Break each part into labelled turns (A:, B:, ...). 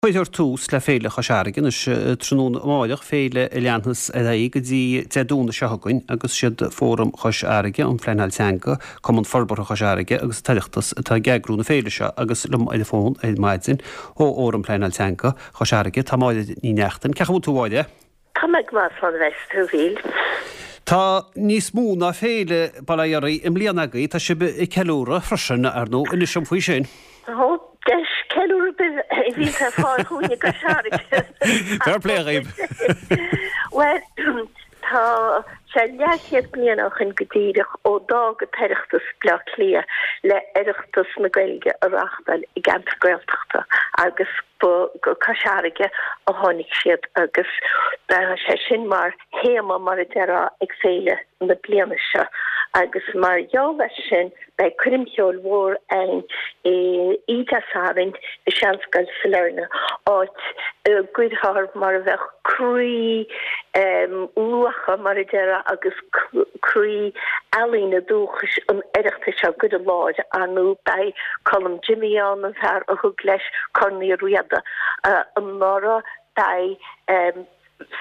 A: Cuirfear tús le Féile Chois Fharraige anois tráthnóna amáireach, féile a leanfas ar aghaidh go dtí Dé Domhnaigh seo chugainn agus siad Fóram Chois Fharraige um Phleanáil Teanga, Cumann Forbartha Chois Fharraige agus an tOireachtas atá ag eagrú na féile seo agus liom ar an bhfón ar maidin ó Fhóram Pleanáil Teanga Chois Fharraige tá Máire Ní Neachtain. Cén chaoi a bhfuil tú a Mháire?
B: Tá mé go maith, slán a bheas tú, a Mhíl.
A: Tá níos mó ná féile bail ó Dhia oraibh i mbliana agaibh, tá sibh ag ceiliúradh freisin, ar ndóigh, inis dom faoi sin.
B: Ó, deis ceiliúradh a bhíonns ar fáil chugainn i gCois Fharraige.
A: Fair play dhaoibh!
B: Bhuel, tá sé leathchéad bliain ó shin go díreach ó d'fhág an tOireachtas Bleá Cliath le Oireachtas na Gaeilge a reáchtáil i gceantar Gaeltachta agus Ba go Cois Fharraige a tháinig siad agus beidh sé sin mar théama, mar a déarfá, ag féile na bliana seo. Agus mar gheall air sin beidh coirm cheoil mhór ann oíche Dé Sathairn i Seanscoil Sailearna, áit a gcuirfear mar a bheadh croí luacha, mar a déarfá, agus croí ealaíne dúchais an Oireachtais á gcur i láthair. Ar ndóigh beidh Colm Jimmy ann, an fear a thug leis Corn Uí Riada anuraidh. Beidh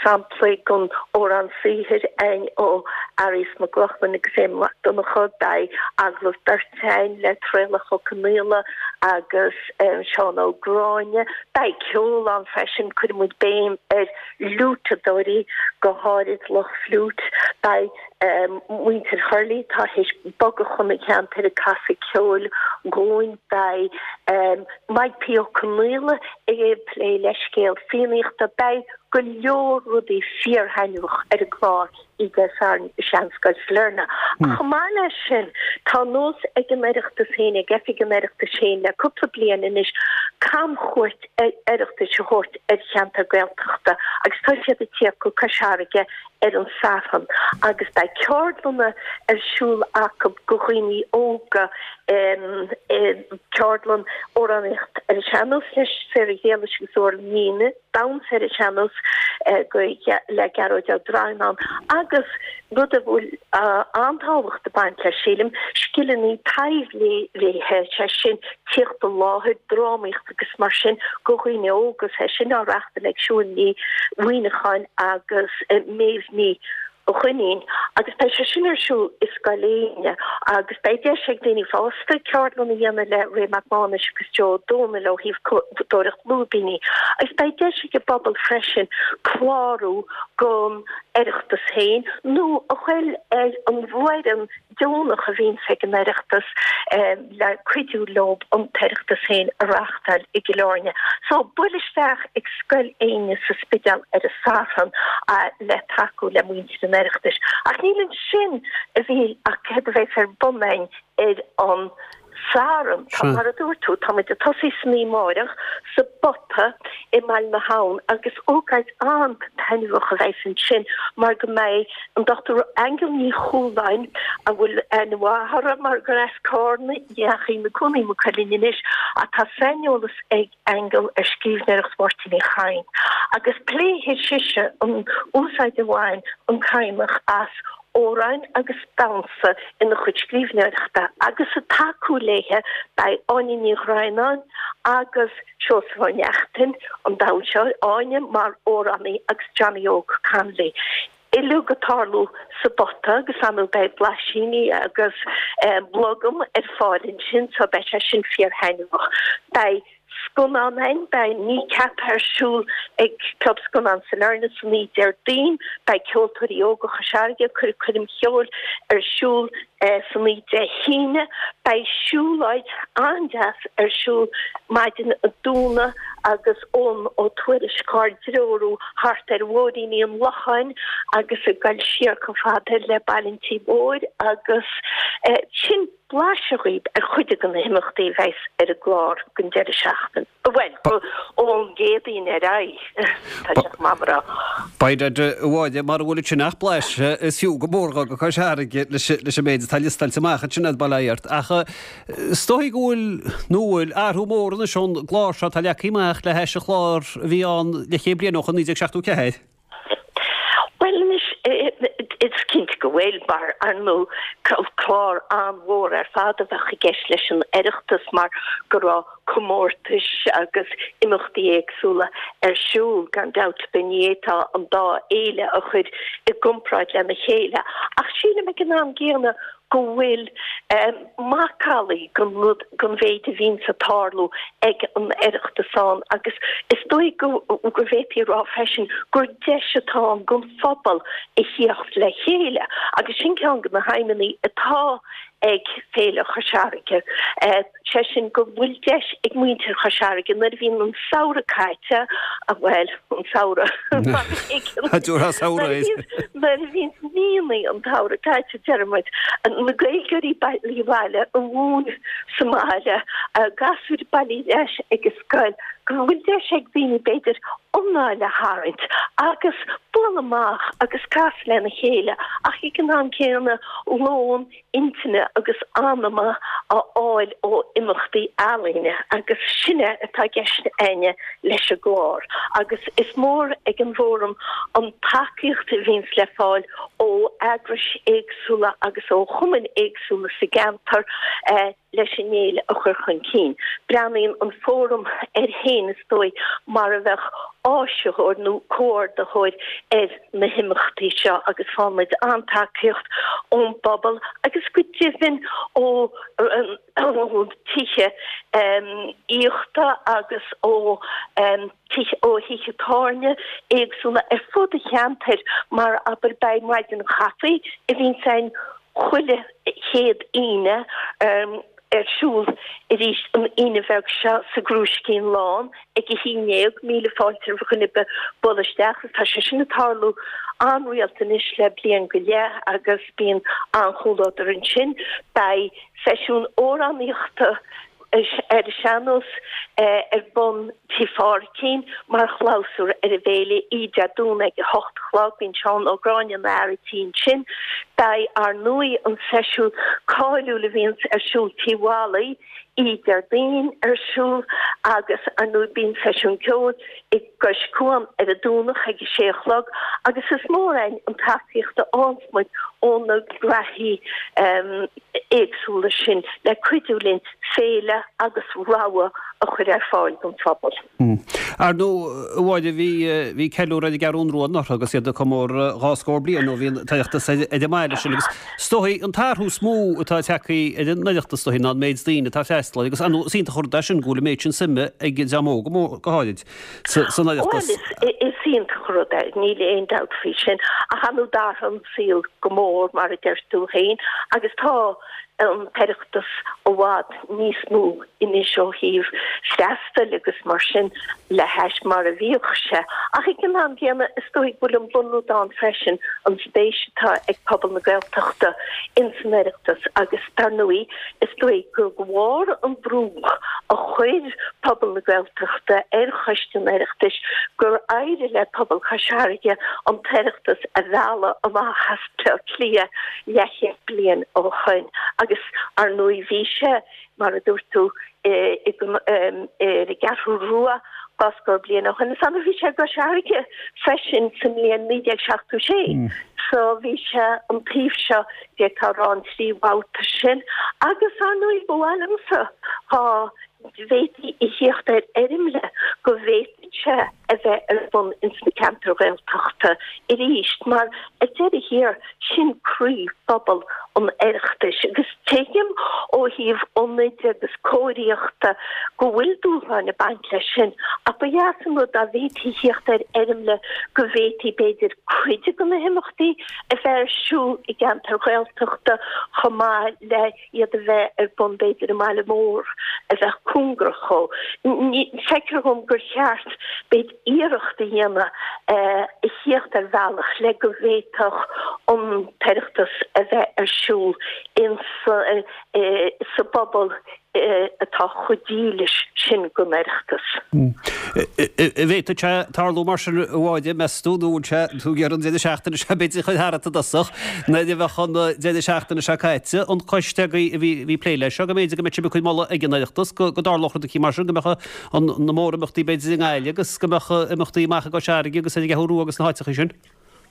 B: samplaí den amhrán saothair ann ó Fhearghus Mac Lochlainn agus Éamonn Mac Donncha. Beidh agallamh beirte ann le Traolach Ó Conaola agus Seán Ó Gráinne. Beidh ceol ann freisin, cuirfidh muid béim ar fhliúiteadóirí, go háirid lucht fliúit. Beidh muintir Thurlaigh, atá théis bogadh chun an cheantair, ag casadh ceoil dhúinn. Beidh Mike P. Ó Conaola ag plé le scéal Fiannaíochta. Beidh go leor rudaí fíorthaitneamhach ar an gclár oíche Dé Sathairn i Seanscoil Sailearna. Ach chomh maith leis sin, tá nós ag an Oireachtas féin, ag Oifig an Oireachtais féin le cúpla bliain anois, camchuairt Oireachtais a thabhairt ar cheantar Gaeltachta agus tá siad ag tíocht go Cois Fharraige ar an Satharn agus beidh ceardlanna ar siúl acu go dhaoine óga, ceardlann amhránaíocht ar an sean-nós le Sarah Ghéalais agus Orla Ní Fhinneadh, damhsa ar an sean-nós le Gearóid Ó Droighneáin agus rud a bhfuil an-tábhacht ag baint leis, sílim, scileanna taibhléirithe, sé sin tíocht i láthair, drámaíocht agus mar sin go dhaoine óga, sé sin á reachtáil ag Siún Ní Mhuineacháin agus Méabh Ní Dhuinnín agus beidh sé sin ar siúl i Scoil Éinne agus beidh deis ag daoine fásta ceardlann a dhéanamh le Ray Mac Mánais agus Joe Ó Dónaill ó thaobh cumadóireacht lúibíní agus beidh deis ag an bpobal freisin clárú don Oireachtas féin nó a ghoil ar an bhfoireann deonach a bhíonns ag an Oireachtas le cuidiú leo an tOireachtas féin a reáchtáil i gCill Airne. So, buail isteach ag Scoil Éinne sa Spidéal ar an Satharn le tacú le muintir an Oireachtais. Ach níl ansin a Mhíl ach céard a bheas ar bun againn ar an Satharn. Tá, mar a dúirt tú, tá muid ag tosaí san oíche amáireach sa bPota i mBaile na hAbhann agus ócáid an-taitneamhach a bheas ansin mar go mbeidh an Dr Aingeal Ní Chualáin, a bhfuil aithne mhaith uirthi mar gur as Carna di ach í ina cónaí i Maigh Cuilinn anois, ach tá saineolas ag Aingeal ar scríbhneoireacht Mháirtín Uí Chadhain agus pléifidh sise an úsáid a bhain an Cadhnach as amhráin agus damhsa ina chuid scríbhneoireachta agus ag tacú léithe beidh Áine Ní Dhroighneáin agus Seosamh Ó Neachtain, an damhsóir, Áine mar amhránaí agus Johnny Óg Connolly. Uilig ag tarlú sa bPota agus ar ndóigh beidh blaisíní agus blogam ar fáil ansin so beidh sé sin fíor-thaitneamhach. Beidh scannán ann, beidh Kneecap ar siúl ag Club Scannán Sailearna san oíche Déardaoin, beidh Ceoltóirí Óga Chois Fharraige ag cur coirm cheoil ar siúl san oíche Dé hAoine, beidh siúlóid an-deas ar siúl maidin an Domhnaigh agus Eoghan Ó Tuairisg ár dtreorú thart ar mhúiríní an Locháin agus ag goil siar chomh fada le Baile an Tí Mhóir agus sin blaiseadh dhaoib ar chuid de na himeachtaí a bheas ar an gclár don deireadh seachtaine. Bhuel, ón gCéadaoin ar aghaidh, tá sé chomh maith a rá.
A: Beidh a Mháire, mara bhfuil ansin ach blaiseadh, is fiú go mór dul go Cois Fharraige leis an méid atá liostáilte amach ansin agat, bail ó Dhia ort. Ach is dóigh go bhfuil, nó bhfuil, athrú mór anois ón gclár seo atá leagtha amach le hais an chláir a bhí ann leathchéad bliain ó shin, 1974.
B: Bhuel anois. Is cinnte go bhfuil, mar ar ndóigh clár an-mhór ar fad a bheadh i gceist leis an Oireachtas mar go raibh comórtais agus imeachtaí éagsúla ar siúl, gan dabht ar bith ní fhéadfá an dá fhéile a chur i gcomparáid lena chéile ach sílim ag an am gcéanna go bhfuil macallaí den rud, den mhéid a bhíonns ag tarlú ag an Oireachtas ann agus is dóigh go bhféadfaí a rá freisin gur deis atá ann don phobal a thíocht le chéile agus sin ceann de na haidhmeanna atá ag Féile Chois Fharraige. sé sin go bhfuil deis ag muintir Chois Fharraige nuair a bhíonn an samhradh caite, bhuel, an samhradh, mar a thuigeann, nuair a bhíonn míonna an tsamhraidh caite, deir muid, na Gaeilgeoirí bailithe abhaile, a mhúin sa mbaile, gasúir bailithe ar ais ag an scoil, go bhfuil deis ag daoine, b'fhéidir, anáil a tharraingt agus bualadh amach agus casadh lena chéile ach ag an am céanna lón intinne agus anama a fháil ó imeachtaí ealaíne agus sin é atá i gceist againne leis an gclár agus is mór ag an bhFóram an tacaíocht a bhíonns le fáil ó eagrais éagsúla agus ó chumainn éagsúla sa gceantar leis an fhéile a chur chun cinn. Breathnaíonn an Fóram air féin, is dóigh, mar a bheadh áisitheoir nó comhordaitheoir ar na himeachtaí seo agus faigheann muid an-tacaíocht ón bpobal agus go deimhin ó tithe aíochta agus ó ó thithe tábhairne éagsúla ar fud an cheantair mar abair beidh maidin chaife a bhíonns ann chuile chéad Aoine ar siúl arís an Aoine bheag seo sa gCrúiscín Lán ag a 11. Míle fáilte roimh dhuine ar bith bualadh isteach agus tá sé sin ag tarlú an-rialta anois le bliain go leith agus bíonn an-chomhluadar ansin. Beidh seisiún amhránaíochta ar an sean-nós ar bun Tigh Phádhraic mar chlabhsúr ar an bhféile, oíche Dé Domhnaigh ag a hocht a chlog. Bíonn Seán Ó Gráinne ina fhear an tí ansin. Beidh, ar ndóigh, an seisiún cáiliúil a bhíonns ar siúl Tigh Mholly oíche Déardaoin ar siúl agus, ar ndóigh, bíonn seisiún ceoil i gCois Cuan ar an Domhnach ag a sé a chlog agus is mór againn an tacaíocht a fhaigheanns muid ó na graithí éagsúla sin le cuidiú linn féile agus rogha a chur ar fáil don phobal.
A: Ar ndóigh, a Mháire, bhí, bhí ceiliúradh ar an gCeathrún Rua anuraidh agus iad ag comóradh dhá scór bliain ó bhí an tOireachtas ar an mbaile sin agus is dóigh an t-athrú is mó atá tagtha ar an Oireachtas is dóigh ná an méid daoine atá ag freastal air agus ar ndóigh is iontach an rud é sin go bhfuil an méid sin suime ag an dream óg go háirid san
B: Oireachtas. Bhuel, is iontach an rud é, níl aon dabht faoi sin. Ach ar ndóigh d'athraigh an saol go mór, mar a deir tú féin, agus tá an tOireachtas i bhfad níos mó anois ó thaobh freastail agus mar sin le hais mar a bhíodh sé. Ach ag an am gcéanna, is dóigh go bhfuil an bunrud ann freisin, an spéis atá ag pobal na Gaeltachta ins an Oireachtas agus dar ndóigh, is dóigh gur de bharr an brú a chuir pobal na Gaeltachta ar Choiste an Oireachtais gur éirigh le pobal Chois Fharraige an tOireachtas a mhealladh amach as Bleá Cliath leathchéad bliain ó shoin agus ar ndóigh bhí sé, mar a dúirt tú, ar an gCeathrú Rua dhá scór bliain ó shoin. Is annamh bhí sé i gCois Fharraige freisin sa mbliain 1976 so bhí sé an taobh seo d'fhéadfá a rá an trí bhabhta sin agus ar ndóigh ba mhaith liomsa dhá bhféadfaí a thíocht ar fhoirmle go bhféadfadh sé a bheith ar bun ins na ceantair Ghaeltachta arís mar ar deireadh thiar sin croí phobal an Oireachtais agus tuigim ó thaobh ionaid agus cóiríochta go bhfuil dúshláin ag baint leis sin ach ba dheas an rud dá bhféadfaí thíocht ar fhoirmle go bhféadfaí b'fhéidir cuid de na himeachtaí a bheith ar siúl i gceantair Ghaeltachta chomh maith le iad a bheith ar bun b'fhéidir i mbaile mór a bheadh cóngarach dhó. Feictear dhom gur cheart b'fhéidir iarracht a dhéanamh a thíocht ar bhealach le go bhféadfadh an tOireachtas a bheith ar siúl sa bpobal atá chomh dílis sin don Oireachtas.
A: An bhféadfadh sé tarlú mar sin, a Mháire, meas tú, nó an bhfuil sé, tú ag iarraidh an deireadh seachtaine seo b'fhéidir a chur tharat i dtosach, nuair a bheadh an deireadh seachtaine seo caite, an coiste agaibh a bhí ag plé leis seo, go mb'fhéidir go mbeadh sibh ag cur moladh ag an Oireachtas go dtarlódh rud eicínt mar sin, go mbeadh na mórimeachtaí b'fhéidir i nGaillimh agus go mbeadh imeachtaí amach i gCois Fharraige agus ar an gCeathrú Rua agus na háiteacha sin?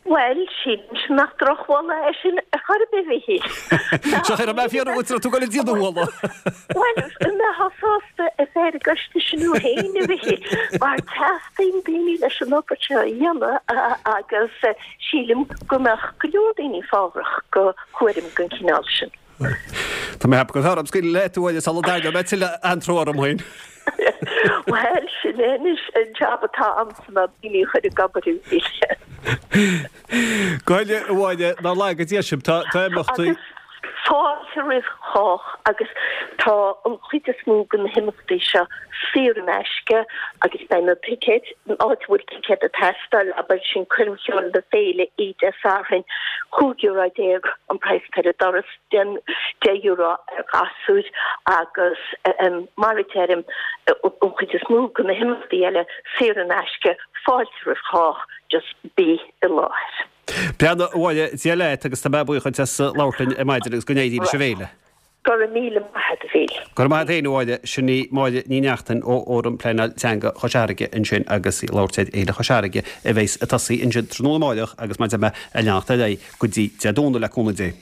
B: Bhuel, sílimse nach drochmholadh é sin ar chor ar bith, a Mhíchíl.
A: Seo chuir mé fiafraí díot an raibh tú ag dul a déanamh an mholadh.
B: Bhuel, an mbeifeá sásta a bheith ar an gcoiste sin thú féin, a Mhíchíl, mar teastaíonn daoine leis an obair seo a dhéanamh agus sílim go mbeadh go leor daoine fábhrach do chúram den chineál sin.
A: Tá mé ag ceapadh gurbh fhearr dom scaoileadh leat, a Mháire, sula dtarraingeoidh mé tuilleadh antró orm féin.
B: Bhuel, sin é anois an jab atá a'msa ná daoine a chur ag obair a Mhíchíl.
A: Go háirithe, a Mháire, nár laga Dia sibh, tá imeachtaí.
B: Agus fáilte roimh chách agus tá an chuid is mó de na himeachtaí seo saor in aisce agus beidh na ticéid, an áit a bhfuil ticéad ag teastáil, abair, sin coirm cheoil na féile oíche Dé Sathairn, €15 euro an praghas atá ar an doras, €10 ar ghasúir agus mar a deirim, an chuid is mó de na himeachtaí eile saor in aisce, fáilte roimh chách, just bí i láthair.
A: Breathnaigh, a Mháire, Dia leat agus tá mé buíoch duit as labhairt linn ar maidin agus go n-éirí leis an bhféile.
B: Go raibh míle maith agat, a Mhíchíl.
A: Go raibh maith agat féin, a Mháire. Sin í Máire Ní Neachtain ó Fhóram Pleanáil Teanga Chois Fharraige ansin agus í ag labhairt ar Fhéile Chois Fharraige a bheas ag tosaí ansin tráthnóna amáireach agus mar a deir mé ag leanacht ar aghaidh go dtí Dé Domhnaigh le cúnamh Dé.